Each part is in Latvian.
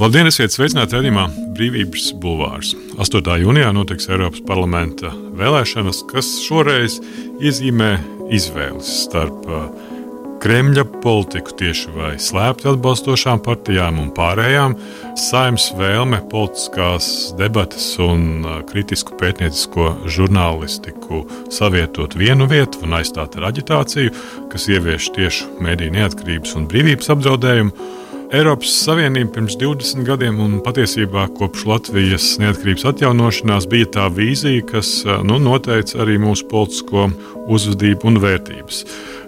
Labdien, esiet sveicināti raidījumā Brīvības bulvārs. 8. jūnijā notiks Eiropas parlamenta vēlēšanas, kas šoreiz iezīmē izvēles starp Kremļa politiku tieši vai slēpti atbalstošām partijām un pārējām, Saeimas vēlme politiskās debates un kritisku pētniecisko žurnālistiku savietot vienu vietu un aizstāt ar aģitāciju, kas ievieš tiešu mediju neatkarības un brīvības apdraudējumu. Eiropas Savienība pirms 20 gadiem un patiesībā kopš Latvijas neatkarības atjaunošanās bija tā vīzija, kas noteica arī mūsu politisko uzvedību un vērtības.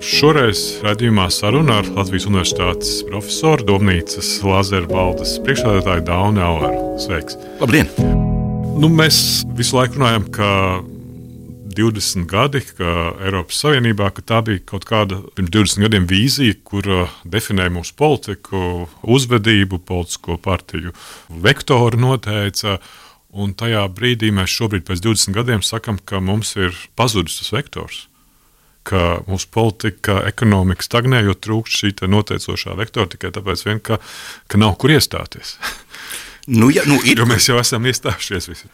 Šoreiz raidījumā saruna ar Latvijas Universitātes profesoru, Domnīcas Lāzeru valdes priekšsēdētāju Dauni Aueru. Sveiks! Labdien! Mēs visu laiku runājam, ka 20 gadi, ka Eiropas Savienībā, ka tā bija kaut kāda pirms 20 gadiem vīzija, kur definēja mūsu politiku, uzvedību, politisko partiju vektoru noteica, un tajā brīdī mēs šobrīd pēc 20 gadiem sakam, ka mums ir pazudis tas vektors, ka mūsu politika, ekonomika stagnē, jo trūkst šī noteicošā vektora tikai tāpēc vien, ka nav kur iestāties. Jo mēs jau esam iestājušies visi.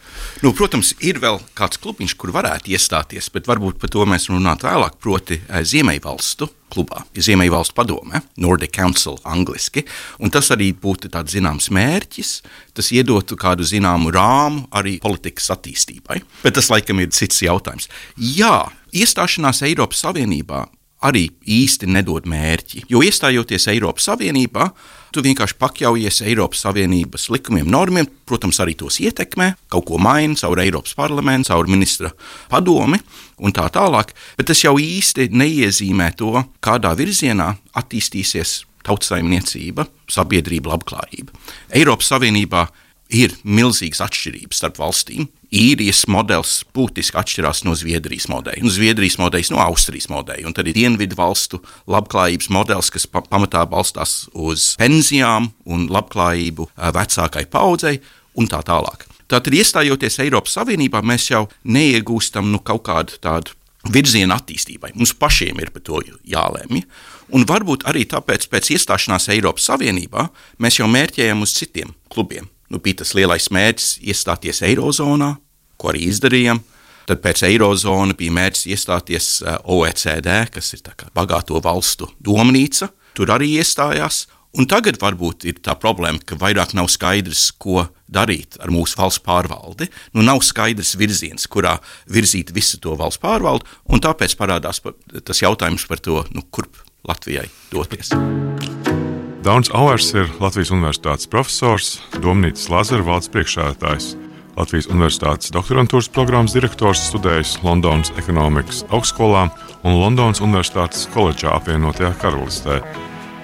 Protams, ir vēl kāds klubiņš, kur varētu iestāties, bet varbūt par to mēs runātu vēlāk, proti Ziemeļvalstu klubā, Ziemeļvalstu padome, Nordic Council angliski, un tas arī būtu tāds zināms mērķis, tas iedotu kādu zināmu rāmu arī politikas attīstībai, bet tas laikam ir cits jautājums. Jā, iestāšanās Eiropas Savienībā arī īsti nedod mērķi, jo iestājoties Eiropas Savienībā, tu vienkārši pakļaujies Eiropas Savienības likumiem, normiem, protams, arī tos ietekmē, kaut ko maina caur Eiropas parlamentu, caur ministra padomi un tā tālāk, bet tas jau īsti neiezīmē to, kādā virzienā attīstīsies tautsaimniecība, sabiedrība, labklājība. Eiropas Savienībā ir milzīgas atšķirības starp valstīm. Īrijas modelis būtiski atšķirās no Zviedrijas modeļa, un Zviedrijas modeļs no Austrijas modeļa, un tad ir dienvidu valstu labklājības modelis, kas pamatā balstās uz pensijām un labklājību vecākai paudzei un tā tālāk. Tātad, iestājoties Eiropas Savienībā, mēs jau neiegūstam kaut kādu tādu virzienu attīstībai. Mums pašiem ir par to jālēmj, un varbūt arī tāpēc pēc iestāšanās Eiropas Savienībā mēs jau mērķējam uz citiem klubiem. Bija tas lielais mērķis iestāties Eirozonā, ko arī izdarījām. Tad pēc Eirozona bija mērķis iestāties OECD, kas ir tā kā bagāto valstu domnīca. Tur arī iestājās. Un tagad varbūt ir tā problēma, ka vairāk nav skaidrs, ko darīt ar mūsu valsts pārvaldi. Nav skaidrs virziens, kurā virzīt visu to valsts pārvaldi, un tāpēc parādās tas jautājums par to, kurp Latvijai doties. Daunis Auers ir Latvijas Universitātes profesors, Domnīcas Lāzeru valdes priekšsēdētājs, Latvijas Universitātes doktorantūras programmas direktors, studējis Londonas ekonomikas augstskolā un Londonas Universitātes koledžā apvienotajā Karalistē.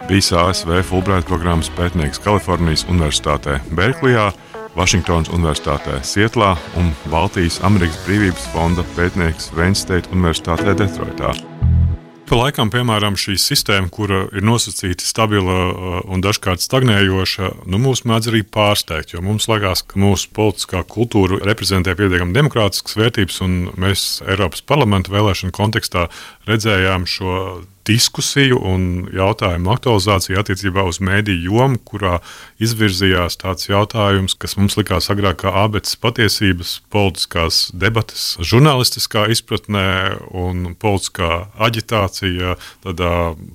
Bijis ASV Fulbright programmas pētnieks Kalifornijas Universitātē Berklijā, Vašingtonas Universitātē Sietlā un Baltijas Amerikas Brīvības fonda pētnieks Wayne State Universitātē Detroitā. Pa laikam, piemēram, šī sistēma, kura ir nosacīta stabila un dažkārt stagnējoša, mūs mēdz arī pārsteigt, jo mums liekas, ka mūsu politiskā kultūra reprezentē pietiekami demokrātiskas vērtības, un mēs Eiropas parlamenta vēlēšanu kontekstā redzējām šo diskusiju un jautājumu aktualizāciju attiecībā uz mediju jomu, kurā izvirzījās tāds jautājums, kas mums likās agrāk kā ābeces patiesības, politiskās debates, žurnālistiskā izpratnē un politiskā aģitācija, tādā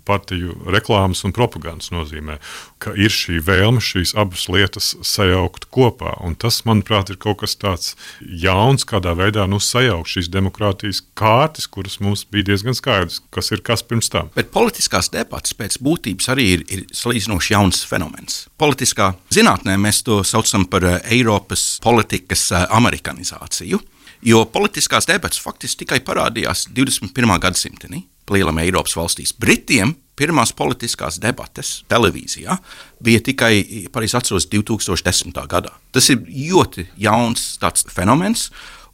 partiju reklāmas un propagandas nozīmē, ka ir šī vēlme šīs abas lietas sajaukt kopā. Un tas, manuprāt, ir kaut kas tāds jauns, kādā veidā sajaukt šīs demokrātijas kārtas, kuras mums bija diezgan skaidrs, kas ir kas pirms tam. Bet politiskās debates pēc būtības arī ir salīdzinoši jauns fenomens. Politiskā zinātnē mēs to saucam par Eiropas politikas amerikanizāciju, jo politiskās debates faktiski tikai parādījās 21. gadsimtenī, lielam Eiropas valstīs. Britiem pirmās politiskās debates televīzijā bija tikai, pareizi atceros, 2010. gadā. Tas ir ļoti jauns tāds fenomens,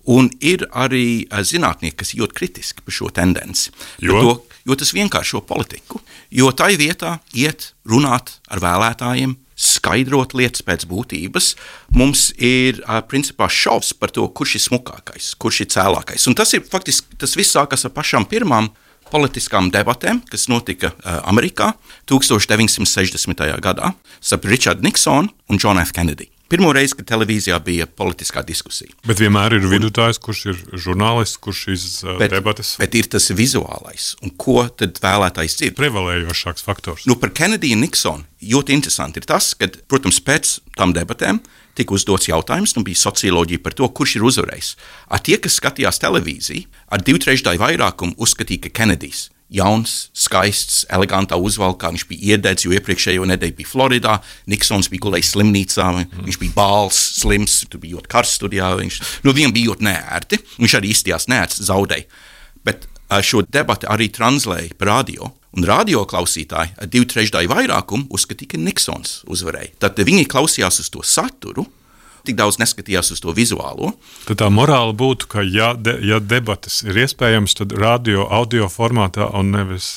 un ir arī zinātnieki, kas jūt kritiski par šo tendenci. Jo tas vienkāršo politiku, jo tai vietā iet runāt ar vēlētājiem, skaidrot lietas pēc būtības, mums ir principā šovs par to, kurš ir smukākais, kurš ir cēlākais. Un tas ir faktiski, tas viss sākas ar pašām pirmām politiskām debatēm, kas notika Amerikā 1960. gadā starp Richardu Niksonu un Johnu F. Kennedy. Pirmo reizi, kad televīzijā bija politiskā diskusija. Bet vienmēr ir vidutājs, kurš ir žurnālists, kurš šīs debates. Bet ir tas vizuālais. Un ko tad vēlētājs dzird? Prevalējošāks faktors. Par Kennedy un Niksonu ļoti interesanti ir tas, ka, protams, pēc tam debatēm tika uzdots jautājums, bija socioloģija par to, kurš ir uzvarējis. Tie, kas skatījās televīziju, ar 2/3 vairākumu uzskatīja, ka Kenedijs jauns, skaists, elegantā uzvalkā, viņš bija iededzis, jo iepriekšējo nedēļu bija Floridā, Niksons bija gulējis slimnīcā, viņš bija bāls, slims, tur bija ļoti karsts studijā, viņam bija ļoti neērti, viņš arī izstījās neērts, zaudēja. Bet šo debati arī translēja par radio, un radio klausītāji ar 2/3 vairākumu uzskatīja, ka Niksons uzvarēja. Tad viņi klausījās uz to saturu, tik daudz neskatījās uz to vizuālo. Tad tā morāla būtu, ka ja debates ir iespējams, tad audio formātā un nevis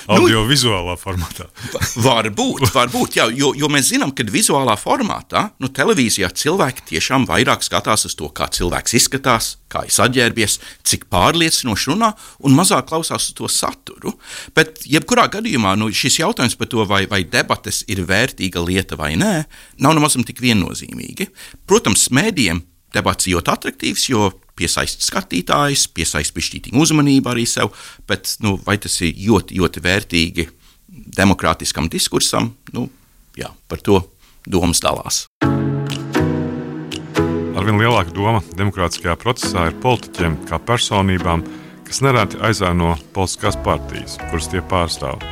audio-vizuālā formātā. Varbūt, jā, jo mēs zinām, ka vizuālā formātā, televīzijā cilvēki tiešām vairāk skatās uz to, kā cilvēks izskatās, kā ir saģērbies, cik pārliecinoši runā un mazāk klausās uz to saturu. Bet jebkurā gadījumā šis jautājums par to, vai debates ir vērtīga lieta vai nē, nav nemazam tik viennozīmīgi. Protams, mēdījiem debats ir ļoti atraktīvs, jo piesaist skatītājus, piesaist pišķītīgu uzmanību arī sev, bet vai tas ir ļoti, ļoti vērtīgi demokrātiskam diskursam, jā, par to domas dalās. Arvien lielāka doma demokrātiskajā procesā ir politiķiem kā personībām, kas nereti aizēno politiskās partijas, kuras tie pārstāv.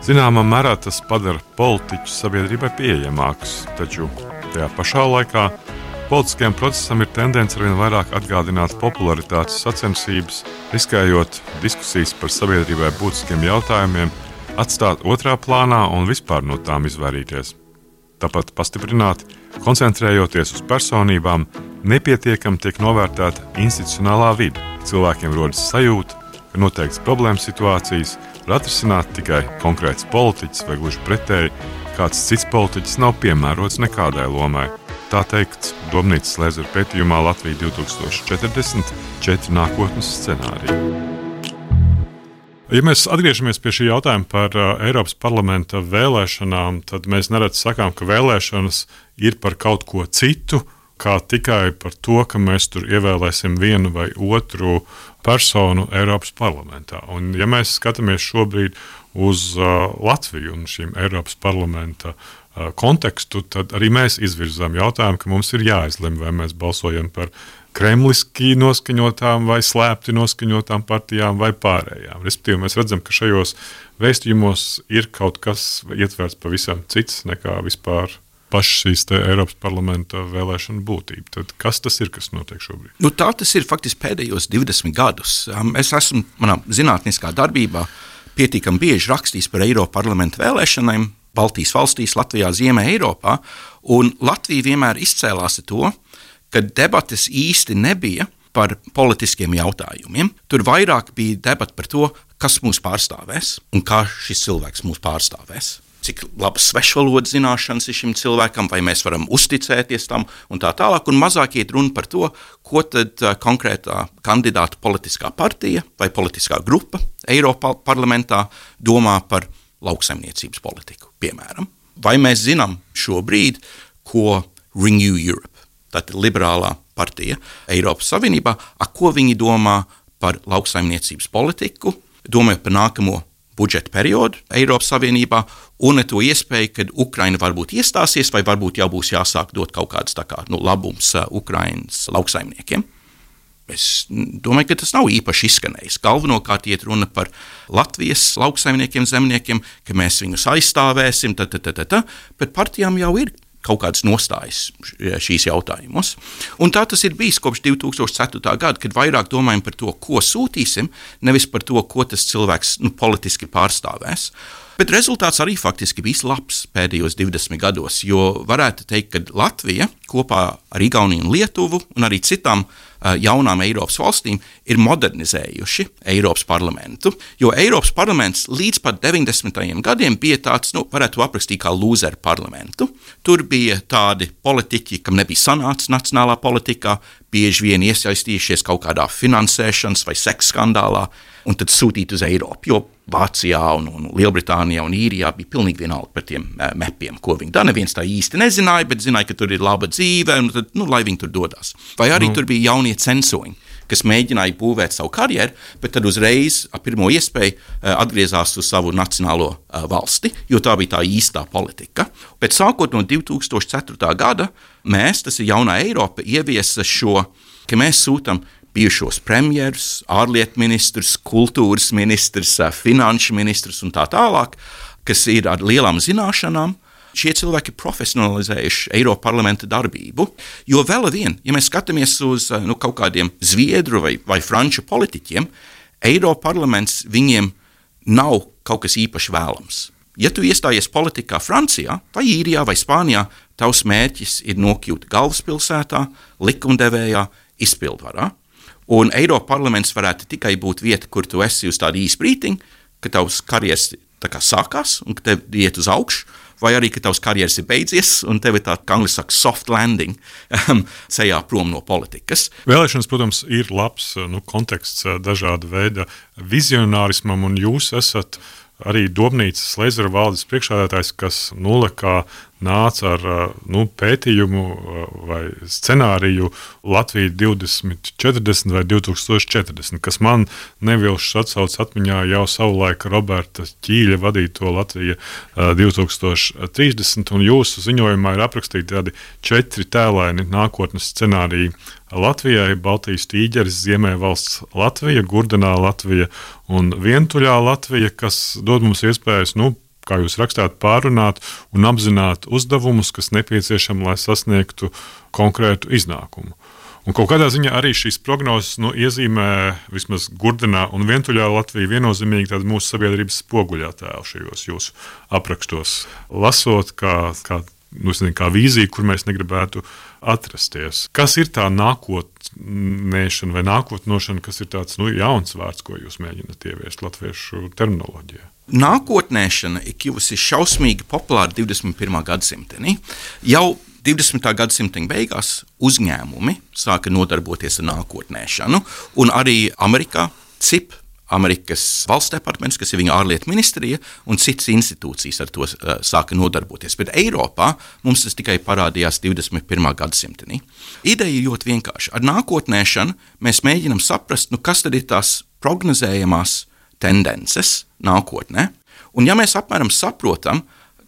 Zināmā mērā tas padara politiķus sabiedrībai pieejamākus, taču tajā pašā laikā politiskajam procesam ir tendence arvien vairāk atgādināt popularitātes sacensības, riskējot diskusijas par sabiedrībai būtiskiem jautājumiem, atstāt otrā plānā un vispār no tām izvairīties. Tāpat pastiprināti, koncentrējoties uz personībām, nepietiekami tiek novērtēta institucionālā vide. Cilvēkiem rodas sajūta, ka noteikts problēmas situācijas var atrisināt tikai konkrēts politiķis vai gluži pretēji, kāds cits politiķis nav piemērots nekādai lomai. Tā teikts Domnīcas Lēzera pētījumā Latvija 2040 4 nākotnes scenāriji. Ja mēs atgriežamies pie šī jautājuma par Eiropas parlamenta vēlēšanām, tad mēs nereti sakām, ka vēlēšanas ir par kaut ko citu, kā tikai par to, ka mēs tur ievēlēsim vienu vai otru personu Eiropas parlamentā. Un ja mēs skatāmies šobrīd uz Latviju un šīm Eiropas parlamenta kontekstu, tad arī mēs izvirzām jautājumu, ka mums ir jāizlem, vai mēs balsojam par kremliski noskaņotām vai slēpti noskaņotām partijām vai pārējām. Respektīvi, mēs redzam, ka šajos vēstījumos ir kaut kas ietverts pavisam cits nekā vispār paša šīs Eiropas parlamenta vēlēšana būtība. Tad kas tas ir, kas notiek šobrīd? Tā tas ir faktiski pēdējos 20 gadus. Es esmu manā zinātniskā darbībā pietiekami bieži rakstījis par Eiropas parlamenta vēlēšanām Baltijas valstīs, Latvijā, Ziemē Eiropā, un Latvija vienmēr izcēlās ar to, ka debates īsti nebija par politiskiem jautājumiem. Tur vairāk bija debata par to, kas mūs pārstāvēs un kā šis cilvēks mūs pārstāvēs. Cik labas svešvalodas zināšanas ir šim cilvēkam, vai mēs varam uzticēties tam un tā tālāk. Un mazāk iet runa par to, ko tad konkrētā kandidāta politiskā partija vai politiskā grupa Eiropas parlamentā domā par lauksaimniecības politiku, piemēram. Vai mēs zinām šobrīd, ko Renew Europe, tātad liberālā partija Eiropas Savienībā, ko viņi domā par lauksaimniecības politiku, domāju par nākamo budžeta periodu Eiropas Savienībā un to iespēju, kad Ukraina varbūt iestāsies vai varbūt jau būs jāsāk dot kaut kāds labums Ukrainas lauksaimniekiem. Es domāju, ka tas nav īpaši izskanējis. Galvenokārt iet runa par Latvijas lauksaimniekiem, zemniekiem, ka mēs viņus aizstāvēsim, bet partijām jau ir kaut kādas nostājas šīs jautājumos. Un tā tas ir bijis kopš 2004. gada, kad vairāk domājam par to, ko sūtīsim, nevis par to, ko tas cilvēks politiski pārstāvēs. Bet rezultāts arī faktiski bija labs pēdējos 20 gados, jo varētu teikt, ka Latvija kopā ar Igauniju un Lietuvu un arī citām jaunām Eiropas valstīm ir modernizējuši Eiropas parlamentu, jo Eiropas parlaments līdz pat 90. gadiem bija tāds, varētu aprakstīt kā lūzeru parlamentu. Tur bija tādi politiķi, kam nebija sanācis nacionālā politikā, bieži vien iesaistījušies kaut kādā finansēšanas vai seksa skandālā, un tad sūtīt uz Eiropu, jo Vācijā un Lielbritānijā un Īrijā bija pilnīgi vienalga par tiem mepiem, ko viņi dara. Neviens tā īsti nezināja, bet zināja, ka tur ir laba dzīve, un tad, lai viņi tur dodas. Vai arī tur bija jaunie censoņi, kas mēģināja būvēt savu karjeru, bet tad uzreiz ar pirmo iespēju atgriezās uz savu nacionālo valsti, jo tā bija tā īstā politika. Bet sākot no 2004. gada, tas ir jaunā Eiropa, ieviesa šo, ka mēs sūtam bijušos premjerus, ārlietu ministrus, kultūras ministrus, finanšu ministrus un tā tālāk, kas ir ar lielām zināšanām. Šie cilvēki ir profesionalizējuši Eiropas parlamenta darbību, jo vēl vien, ja mēs skatāmies uz kaut kādiem zviedru vai franču politiķiem, Eiropas parlaments viņiem nav kaut kas īpaši vēlams. Ja tu iestājies politikā Francijā, vai Īrijā, vai Spānijā, tavs mērķis ir nokļūt galvaspilsētā, likumdevējā, izpildvarā. Un Eiropas parlaments varētu tikai būt vieta, kur tu esi uz tādu īsu brītiņu, ka tavs karjeras tā kā sākās un ka tev iet uz augšu, vai arī, ka tavs karjeras ir beidzies un tev ir tā, kā angļuiski saka, soft landing ceļā prom no politikas. Vēlēšanas, protams, ir labs konteksts dažāda veida vizionārismam, un jūs esat arī Dobnīcas Leizera valdes priekšsēdētājs, kas nulekā nāca ar pētījumu vai scenāriju Latvija 2040 vai 2040, kas man nevilšs atsauc atmiņā jau savulaik Roberta Ķīļa vadīto Latvija 2030, un jūsu ziņojumā ir aprakstīti tādi 4 tēlaini nākotnes scenāriji Latvijai: Baltijas tīģeris, Ziemeļvalsts Latvija, Gurdenā Latvija un Vientuļā Latvija, kas dod mums iespējas, kā jūs rakstāt, pārunāt un apzināt uzdevumus, kas nepieciešami, lai sasniegtu konkrētu iznākumu. Un kaut kādā ziņā arī šīs prognozes iezīmē vismaz Gurdenā un Vientuļā Latvija viennozīmīgi tādu mūsu sabiedrības spoguļattēlu šajos jūsu aprakstos. Lasot kā vīzija, kur mēs negribētu atrasties. Kas ir tā nākotnēšana vai nākotnošana, kas ir tāds jauns vārds, ko jūs mēģināt ieviest latviešu terminoloģijā? Nākotnēšana ir kļuvusi šausmīgi populāra 21. gadsimtenī. Jau 20. gadsimta beigās uzņēmumi sāka nodarboties ar nākotnēšanu, un arī Amerikā CIP, Amerikas valsts departaments, kas ir viņa ārlietu ministrija, un citas institūcijas ar to sāka nodarboties. Bet Eiropā mums tas tikai parādījās 21. gadsimtenī. Ideja ir ļoti vienkārša. Ar nākotnēšanu mēs mēģinam saprast, kas tad ir tās prognozējamās tendences nākotnē. Un ja mēs apmēram saprotam,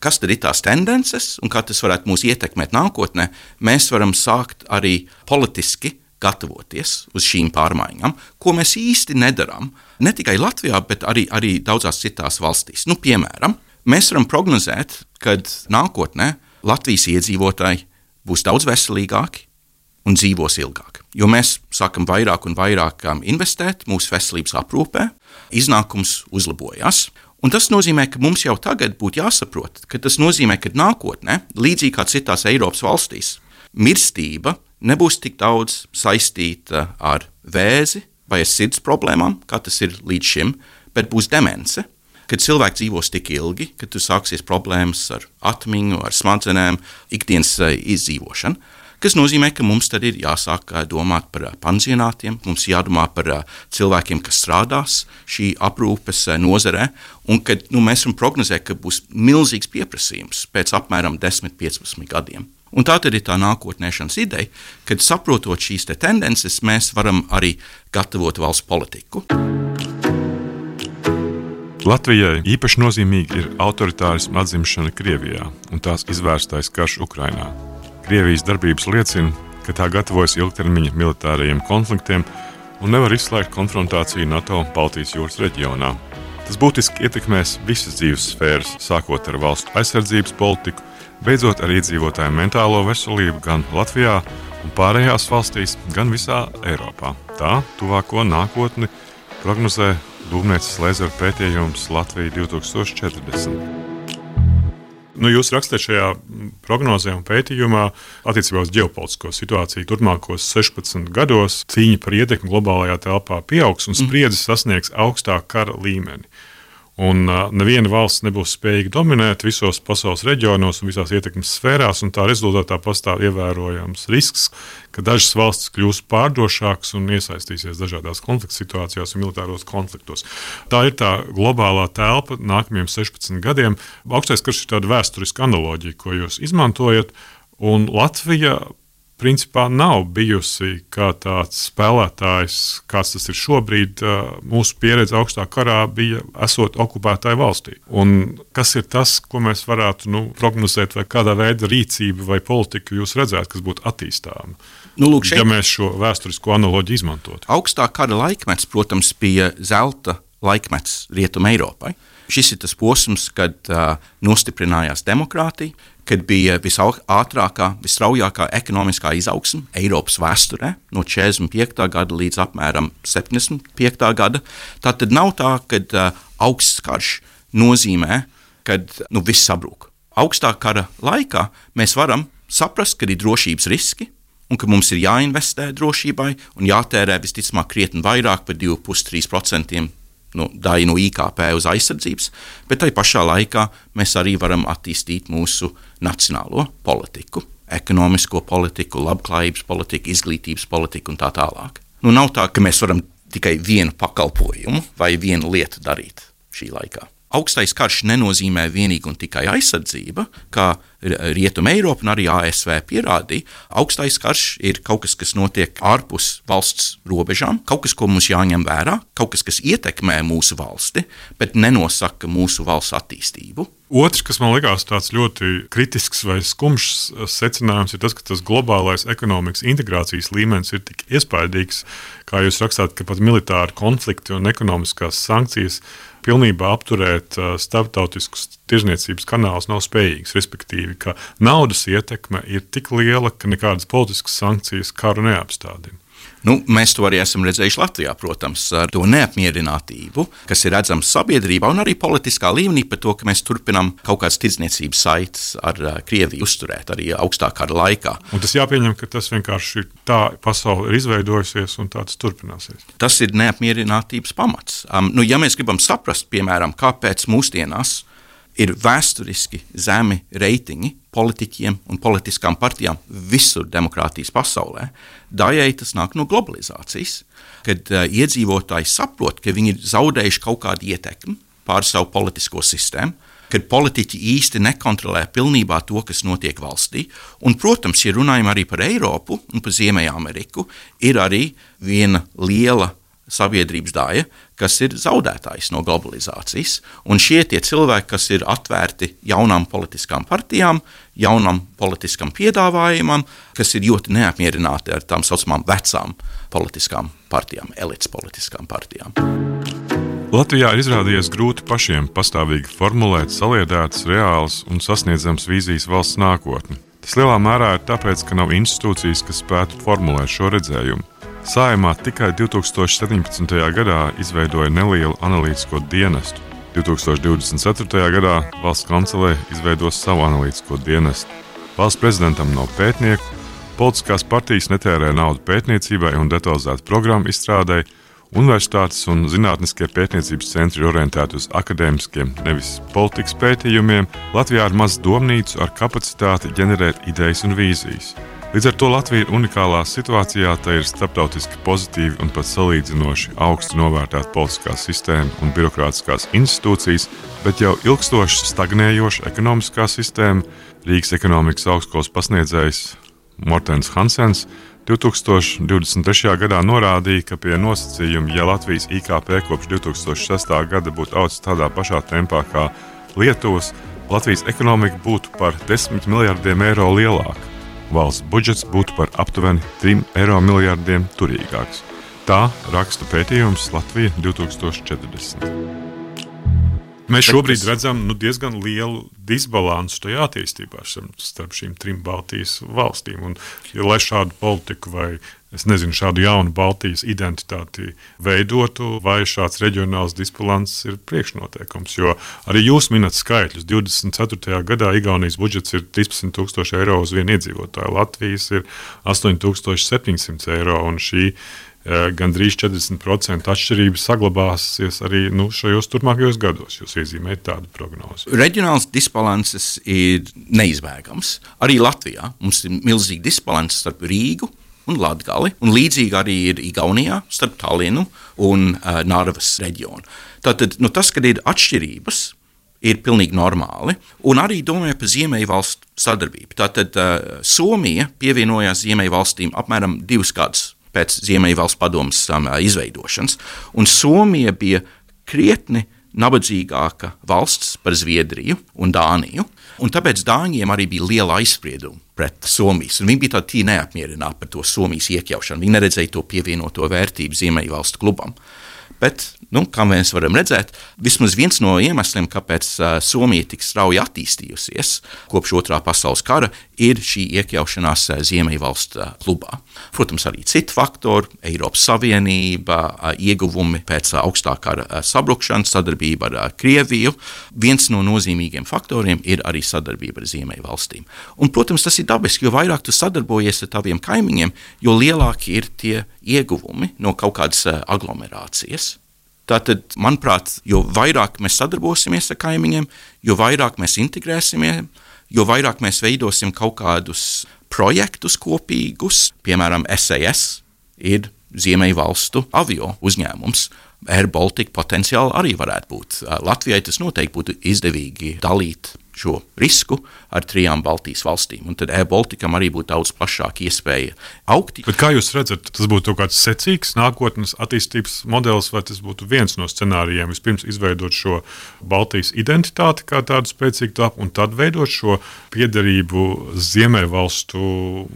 kas tad ir tās tendences un kā tas varētu mūs ietekmēt nākotnē, mēs varam sākt arī politiski gatavoties uz šīm pārmaiņām, ko mēs īsti nedarām, ne tikai Latvijā, bet arī daudzās citās valstīs. Piemēram, mēs varam prognozēt, ka nākotnē Latvijas iedzīvotāji būs daudz veselīgāki un dzīvos ilgāk. Jo mēs sākam vairāk un vairāk investēt mūsu veselības aprūpē, iznākums uzlabojās. Un tas nozīmē, ka mums jau tagad būtu jāsaprot, ka tas nozīmē, ka nākotnē, līdzīgi kā citās Eiropas valstīs, mirstība nebūs tik daudz saistīta ar vēzi vai ar sirds problēmām, kā tas ir līdz šim, bet būs demence, kad cilvēki dzīvos tik ilgi, ka tu sāksies problēmas ar atmiņu, ar smadzenēm, ikdienas izdzīvošanu, kas nozīmē, ka mums tad ir jāsāk domāt par pansionātiem, mums jādomā par cilvēkiem, kas strādās šī aprūpes nozarē, un kad mēs varam prognozēt, ka būs milzīgs pieprasījums pēc apmēram 10-15 gadiem. Un tā tad ir tā nākotnēšanas ideja, kad saprotot šīs tendences, mēs varam arī gatavot valsts politiku. Latvijai īpaši nozīmīgi ir autoritārisma atzimšana Krievijā un tās izvērstais karš Ukrainā. Krievijas darbības liecina, ka tā gatavojas ilgtermiņa militārajiem konfliktiem un nevar izslēgt konfrontāciju NATO Baltijas jūras reģionā. Tas būtiski ietekmēs visas dzīves sfēras, sākot ar valstu aizsardzības politiku, beidzot ar iedzīvotāju mentālo veselību gan Latvijā un pārējās valstīs, gan visā Eiropā. Tā tuvāko nākotni prognozē Dūmnieces Lēzera pētījums Latvija 2040. Jūs rakstāt šajā prognozē un pētījumā attiecībā uz ģeopolitisko situāciju turpmākos 16 gados cīņa par ietekmi globālajā telpā pieaugs un spriedzi sasniegs augstāku kara līmeni. Un neviena valsts nebūs spējīga dominēt visos pasaules reģionos un visās ietekmes sfērās, un tā rezultātā pastāv ievērojams risks, ka dažas valstis kļūs pārdrošākas un iesaistīsies dažādās konflikta situācijās un militāros konfliktos. Tā ir tā globālā telpa nākamajiem 16 gadiem. Augstais karš ir tāda vēsturiska analoģija, ko jūs izmantojat, un Latvija principā nav bijusi kā tāds spēlētājs, kāds tas ir šobrīd. Mūsu pieredze augstā karā bija esot okupētāju valstī. Un kas ir tas, ko mēs varētu prognozēt, vai kādā veida rīcību vai politiku jūs redzētu, kas būtu attīstāma? Ja mēs šo vēsturisko analoģiju izmantotu. Augstā kara laikmets, protams, bija zelta laikmets Rietumē Eiropai. Šis ir tas posms, kad nostiprinājās demokrātija, kad bija visātrākā, visstraujākā ekonomiskā izaugsme Eiropas vēsturē no 45. gada līdz apmēram 75. gada. Tā tad nav tā, ka augsts karš nozīmē, ka viss sabrūk. Augstā kara laikā mēs varam saprast, ka ir drošības riski un ka mums ir jāinvestē drošībai un jātērē visticamāk krietni vairāk par 2,5–3% daļu no IKP uz aizsardzības, bet tai pašā laikā mēs arī varam attīstīt mūsu nacionālo politiku, ekonomisko politiku, labklājības politiku, izglītības politiku un tā tālāk. Nav tā, ka mēs varam tikai vienu pakalpojumu vai vienu lietu darīt šī laikā. Augstais karš nenozīmē vienīgi un tikai aizsardzība, kā Rietuma Eiropa un arī ASV pierādīja. Augstais karš ir kaut kas, kas notiek ārpus valsts robežām, kaut kas, ko mums jāņem vērā, kaut kas, kas ietekmē mūsu valsti, bet nenosaka mūsu valsts attīstību. Otrs, kas man likās tāds ļoti kritisks vai skumjš secinājums, ir tas, ka tas globālais ekonomikas integrācijas līmenis ir tik iespaidīgs, kā jūs rakstāt, ka pat militāri konflikti un ekonomiskās sankcijas pilnībā apturēt starptautiskus tirzniecības kanālus nav spējīgs, respektīvi, ka naudas ietekme ir tik liela, ka nekādas politiskas sankcijas karu neapstādina. Mēs to arī esam redzējuši Latvijā, protams, ar to neapmierinātību, kas ir redzams sabiedrībā un arī politiskā līmenī par to, ka mēs turpinām kaut kādas tirdzniecības saites ar Krieviju uzturēt arī augstā kara laikā. Un tas jāpieņem, ka tas vienkārši ir tā pasaule ir izveidojusies un tā tas turpināsies. Tas ir neapmierinātības pamats. Ja mēs gribam saprast, piemēram, kāpēc mūsdienās ir vēsturiski zemi reitingi politiķiem un politiskām partijām visur demokrātijas pasaulē, daļai tas nāk no globalizācijas, kad iedzīvotāji saprot, ka viņi ir zaudējuši kaut kādu ietekmi pār savu politisko sistēmu, kad politiķi īsti nekontrolē pilnībā to, kas notiek valstī. Un, protams, ja runājam arī par Eiropu un par Ziemeļameriku, ir arī viena liela sabiedrības daļa, kas ir zaudētājs no globalizācijas. Un šie tie cilvēki, kas ir atvērti jaunām politiskām partijām, jaunam politiskam piedāvājumam, kas ir ļoti neapmierināti ar tām saucamām vecām politiskām partijām, elites politiskām partijām. Latvijā ir izrādījies grūti pašiem pastāvīgi formulēt saliedētas, reālas un sasniedzamas vīzijas valsts nākotni. Tas lielā mērā ir tāpēc, ka nav institūcijas, kas spētu formulēt šo redzējumu. Saeimā tikai 2017. gadā izveidoja nelielu analītisko dienestu. 2024. gadā valsts kancelē izveidos savu analītisko dienestu. Valsts prezidentam nav pētnieku, politiskās partijas netērē naudu pētniecībai un detalizētu programmu izstrādai, universitātes un zinātniskie pētniecības centri ir orientēti uz akadēmiskiem, nevis politikas pētījumiem. Latvijā ir maz domnīcu ar kapacitāti ģenerēt idejas un vīzijas. Līdz ar to Latvija ir unikālā situācijā, tā ir starptautiski pozitīvi un pat salīdzinoši augsti novērtēta politiskā sistēma un birokrātiskās institūcijas, bet jau ilgstoši stagnējoša ekonomiskā sistēma. Rīgas ekonomikas augstskolas pasniedzējs Mortens Hansens 2023. gadā norādīja, ka pie nosacījuma, ja Latvijas IKP kopš 2006. gada būtu audzis tādā pašā tempā kā Lietuvas, Latvijas ekonomika būtu par 10 miljardiem eiro lielāka. Valsts budžets būtu par aptuveni 3 miljardiem eiro turīgāks. Tā raksta pētījums Latvija 2040. Mēs šobrīd redzam diezgan lielu disbalansu tajā attīstībā starp šīm 3 Baltijas valstīm. Un, lai šādu politiku vai es nezinu, šādu jaunu Baltijas identitāti veidotu, vai šāds reģionāls disbalans ir priekšnoteikums. Jo arī jūs minat skaitļus. 24. gadā Igaunijas budžets ir 13,000 eiro uz vienu iedzīvotāju, Latvijas ir 8,700 eiro, un šī gandrīz 40% atšķirības saglabāsies arī šajos turpmākajos gados. Jūs iezīmējat tādu prognozi. Reģionāls disbalanss ir neizbēgams. Arī Latvijā mums ir milzīgi disbalanss starp Rīgu un Latgali, un līdzīgi arī ir Igaunijā starp Tallinu un Narvas reģionu. Tātad tas, kad ir atšķirības, ir pilnīgi normāli, un arī domāju par Ziemeļvalstu sadarbību. Tātad Somija pievienojās Ziemeļvalstīm apmēram 2 gadus pēc Ziemeļvalstu padomes izveidošanas, un Somija bija krietni nabadzīgāka valsts par Zviedriju un Dāniju, un tāpēc Dāņiem arī bija liela aizsprieduma pret Somijas, un viņi bija tādi neapmierināti par to Somijas iekļaušanu. Viņi neredzēja to pievienoto vērtību Ziemeļvalstu klubam. Bet, kā mēs varam redzēt, vismaz viens no iemesliem, kāpēc Somija tik strauji attīstījusies kopš Otrā pasaules kara, ir šī iekļaušanās Ziemeļvalstu klubā. Protams, arī citi faktori, Eiropas Savienība, ieguvumi pēc augstā kara sabrukšanas, sadarbība ar Krieviju. Viens no nozīmīgiem faktoriem ir arī sadarbība ar Ziemeļvalstīm. Un, protams, tas ir dabiski, jo vairāk tu sadarbojies ar taviem kaimiņiem, jo lielāki ir tie ieguvumi no kaut kādas aglomerācijas. Tātad, manuprāt, jo vairāk mēs sadarbosimies ar kaimiņiem, jo vairāk mēs integrēsimies, jo vairāk mēs veidosim kaut kādus projektus kopīgus, piemēram, SAS ir Ziemeļvalstu avio uzņēmums. Air Baltica potenciāli arī varētu būt. Latvijai tas noteikti būtu izdevīgi dalīt šo risku ar 3 Baltijas valstīm. Un tad Air Balticam arī būtu daudz plašāka iespēja augt. Bet kā jūs redzat, tas būtu kaut kāds secīgs nākotnes attīstības modelis, vai tas būtu viens no scenārijiem? Vispirms izveidot šo Baltijas identitāti kā tādu spēcīgu tāpu, un tad veidot šo piederību Ziemeļvalstu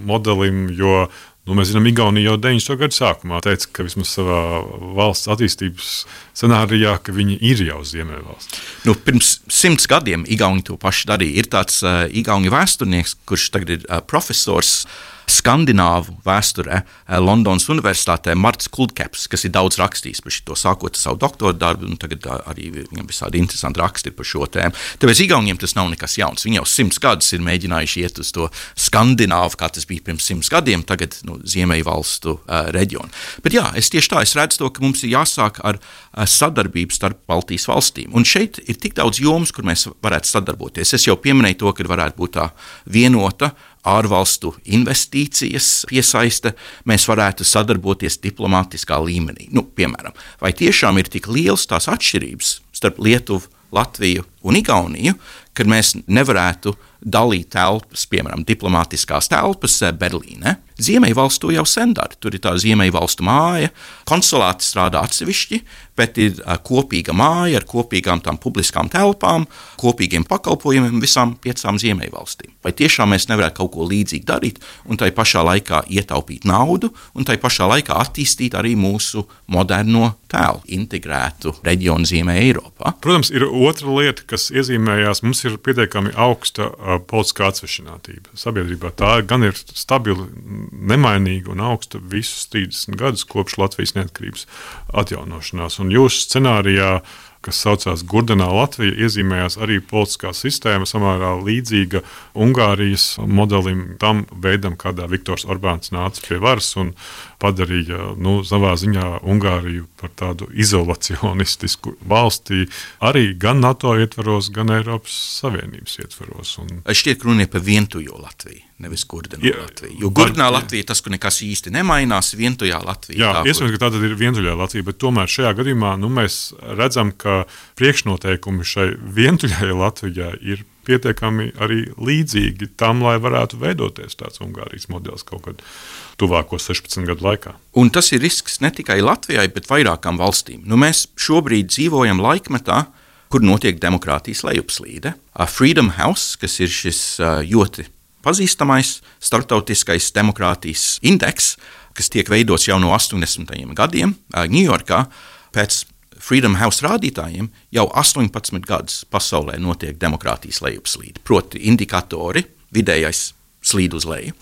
modelim, jo mēs zinām, Igaunija jau 90. gadu sākumā teica, ka vismaz savā valsts attīstības scenārijā, ka viņi ir jau Ziemeļvalsts. Pirms 100 gadiem Igauni to pašu darīja. Ir tāds Igauni vēsturnieks, kurš tagad ir profesors skandināvu vēsturē Londonas Universitātē, Marts Kuldkeps, kas ir daudz rakstījis par šo, sākot savu doktora darbu, un tagad arī viņam visādi interesanti raksti par šo tēmu. Tāpēc Igauniem tas nav nekas jauns. Viņi jau 100 gadus ir mēģinājuši iet uz to skandināvu, kā tas bija pirms 100 gadiem, tagad Ziemeļvalstu reģionu. Bet jā, es redzu to, ka mums ir jāsāk ar sadarbību starp Baltijas valstīm. Un šeit ir tik daudz jomas, kur mēs varētu sadarboties. Es jau pieminēju to, ka varētu būt tā vienota ārvalstu investīcijas piesaiste, mēs varētu sadarboties diplomātiskā līmenī. Piemēram, vai tiešām ir tik liels tās atšķirības starp Lietuvu, Latviju un Igauniju, kad mēs nevarētu dalīt telpas, piemēram, diplomātiskās telpas Berlīnē. Ziemeļvalstu to jau sen dara. Tur ir tā Ziemeļvalstu māja, konsulāti strādā atsevišķi, bet ir kopīga māja ar kopīgām tām publiskām telpām, kopīgiem pakalpojumiem visām 5 Ziemeļvalstīm. Vai tiešām mēs nevarētu kaut ko līdzīgi darīt un tai pašā laikā ietaupīt naudu un tai pašā laikā attīstīt arī mūsu moderno tēlu, integrētu reģionu Ziemē Eiropā? Protams, ir otra lieta, kas iezīmējās. Mums ir pietiekami augsta politiskā atsvešinātība sabiedrībā. Tā gan ir stabili, nemainīga un augsta visus 30 gadus kopš Latvijas neatkarības atjaunošanās. Un jūsu scenārijā, kas saucās Gurdenā Latvija, iezīmējās arī politiskā sistēma samērā līdzīga Ungārijas modelim, tam veidam, kādā Viktors Orbāns nāca pie varas un padarīja savā ziņā Ungāriju par tādu izolacionistisku valstī, arī gan NATO ietvaros, gan Eiropas Savienības ietvaros. Šķiet, ka runa ir par vientuļo Latviju, nevis Gurdenā Latviju. Jo Gurdenā Latvija tas, ka nekas īsti nemainās, vientuļā Latvija. Jā, iespējams, ka tā tad ir vientuļā Latvija, bet tomēr šajā gadījumā mēs redzam, ka priekšnoteikumi šai vientuļai Latvijai ir pietiekami arī līdzīgi tam, lai varētu veidoties tāds Ungārijas modelis kaut kad tuvāko 16 gadu laikā. Un tas ir risks ne tikai Latvijai, bet vairākām valstīm. Mēs šobrīd dzīvojam laikmetā, kur notiek demokrātijas lejupslīde. Freedom House, kas ir šis ļoti pazīstamais starptautiskais demokrātijas indeks, kas tiek veidots jau no 80. gadiem Ņujorkā, pēc Freedom House rādītājiem jau 18 gadus pasaulē notiek demokrātijas lejupslīde. Proti indikatori, vidējais slīd uz leju.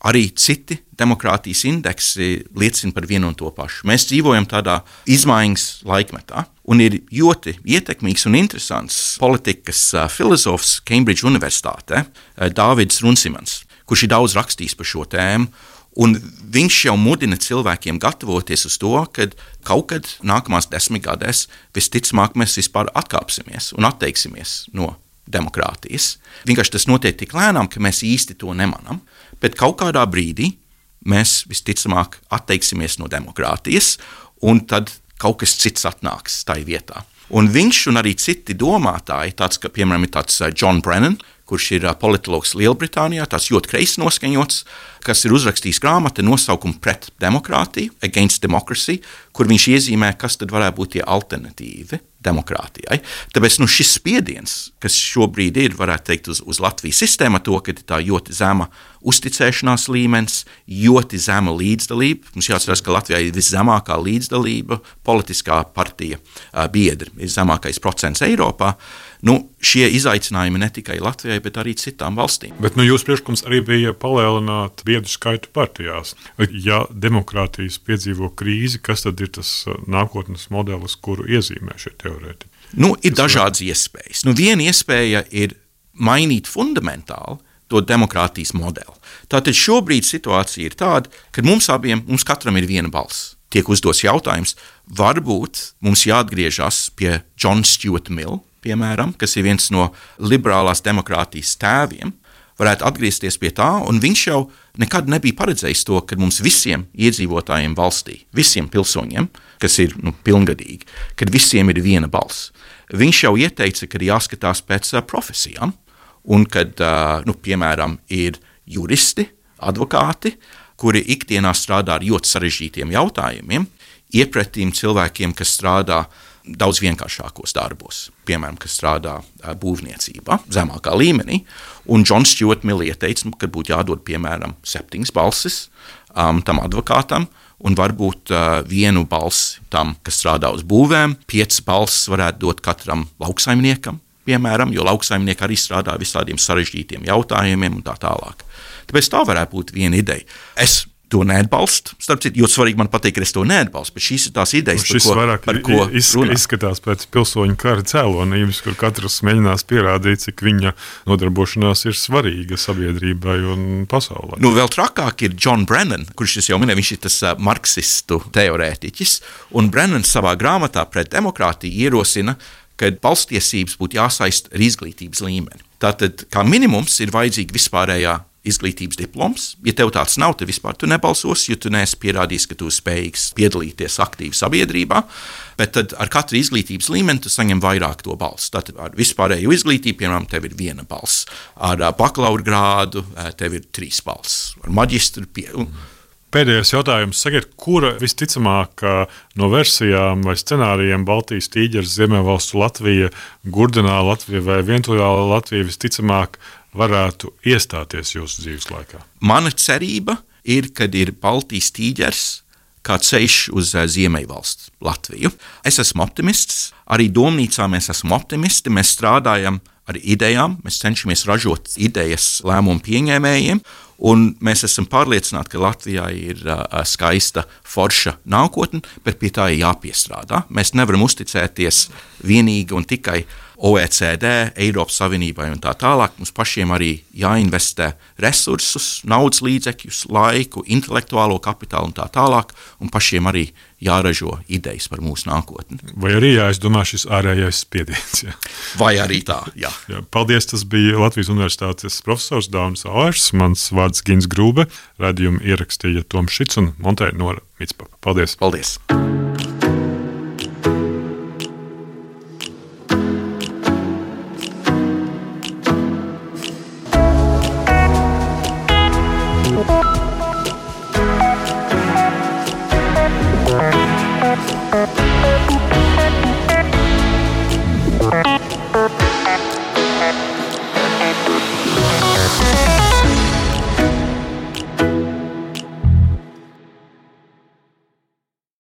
arī citi demokrātijas indeksi liecina par vienu un to pašu. Mēs dzīvojam tādā izmaiņas laikmetā, un ir ļoti ietekmīgs un interesants politikas filozofs Cambridge Universitātē, Dāvids Runsimans, kurš ir daudz rakstījis par šo tēmu. Un viņš jau mudina cilvēkiem gatavoties uz to, ka kaut kad nākamās 10 gadēs visticamāk mēs vispār atkāpsimies un atteiksimies no demokrātijas. Vienkārši tas notiek tik lēnām, ka mēs īsti to nemanam, bet kaut kādā brīdī mēs visticamāk atteiksimies no demokrātijas, un tad kaut kas cits atnāks tai vietā. Un viņš un arī citi domātāji, tāds, ka, piemēram, ir tāds John Brennan, kurš ir politologs Lielbritānijā, tāds ļoti kreisi noskaņots, kas ir uzrakstījis grāmatu nosaukumu Pret demokrātiju, Against Democracy, kur viņš iezīmē, kas tad varētu būt tie alternatīvi demokrātijai. Tāpēc šis spiediens, kas šobrīd ir, varētu teikt, uz Latvijas sistēmu, to, ka ir tā ļoti zema uzticēšanās līmenis, ļoti zema līdzdalība. Mums jāatcerās, ka Latvijā ir viszemākā līdzdalība, politiskā partija biedri ir zemākais procents Eiropā. Šie izaicinājumi ne tikai Latvijai, bet arī citām valstīm. Bet jūs priekšlikums arī bija palielināt biedru skaitu partijās. Ja demokrātijas piedzīvo krīzi, kas tad ir tas nākotnes modelis, kuru iezīmē šie teorētiķi? Ir dažādas iespējas. Viena iespēja ir mainīt fundamentāli to demokrātijas modeli. Tātad šobrīd situācija ir tāda, ka mums katram ir viena balss. Tiek uzdots jautājums, varbūt mums jāatgriežas pie John Stuart Mill, piemēram, kas ir viens no liberālās demokrātijas tēviem, varētu atgriezties pie tā, un viņš jau nekad nebija paredzējis to, ka mums visiem iedzīvotājiem valstī, visiem pilsoņiem, kas ir pilngadīgi, kad visiem ir viena balss. Viņš jau ieteica, ka jāskatās pēc profesijām, un kad, piemēram, ir juristi, advokāti, kuri ikdienā strādā ar ļoti sarežģītiem jautājumiem, iepretīm cilvēkiem, kas strādā daudz vienkāršākos darbos, piemēram, kas strādā būvniecībā, zemākā līmenī. Un John Stuart Mill ieteica, ka būtu jādod, piemēram, 7 balsis tam advokātam, un varbūt 1 balsi tam, kas strādā uz būvēm, 5 balsis varētu dot katram lauksaimniekam, piemēram, jo lauksaimnieki arī strādā visādiem sarežģītiem jautājumiem un tā tālāk. Tāpēc tā varētu būt viena ideja. Es to neatbalstu. Starp citu, ļoti svarīgi man pateikt, ka es to neatbalstu, bet šīs ir tās idejas, par ko izskatās pēc pilsoņu kara cēlonības, kur katrs mēģinās pierādīt, cik viņa nodarbošanās ir svarīga sabiedrībai un pasaulē. Vēl trakāk ir John Brennan, kurš es jau minēju, viņš ir tas marksistu teorētiķis, un Brennan savā grāmatā Pret demokrātiju ierosina, ka balstiesības būtu jāsaist ar izglītības līmeni. Tātad, kā minimums, ir vajadzīga vispārējā izglītības diploms. Ja tev tāds nav, tad vispār tu nebalsosi, jo tu neesi pierādījis, ka tu spējīgs piedalīties aktīvi sabiedrībā, bet tad ar katru izglītības līmeni tu saņem vairāk to balsu. Tātad ar vispārēju izglītību, piemēram, tev ir 1 balss. Ar bakalaura grādu tev ir 3 balss. Ar maģistru Pēdējais jautājums. Sakiet, kura visticamāk no versijām vai scenārijiem Baltijas tīģeris, Ziemeļvalstu Latvija, Gurdenā Latvija vai Vientuļā Latvija visticamāk varētu iestāties jūsu dzīves laikā? Mana cerība ir, kad ir Baltijas tīģeris kā ceļš uz Ziemeļvalstu Latviju. Es esmu optimists, arī domnīcā mēs esam optimisti, mēs strādājam ar idejām, mēs cenšamies ražot idejas lēmumu pieņēmējiem, un mēs esam pārliecināti, ka Latvijā ir skaista, forša nākotne, bet pie tā ir jāpiestrādā. Mēs nevaram uzticēties vienīgi un tikai OECD, Eiropas Savienībai un tā tālāk. Mums pašiem arī jāinvestē resursus, naudas līdzekļus, laiku, intelektuālo kapitālu un tā tālāk, un pašiem arī jāražo idejas par mūsu nākotni. Vai arī jāizdomā šis ārējais spiediens? Ja? Vai arī tā, jā. Paldies, tas bija Latvijas Universitātes profesors Daunis Auers, mans vārds Gins Grūbe, raidījumu ierakstīja Toms Šits un montēja Nora Mitspapa. Paldies! Paldies!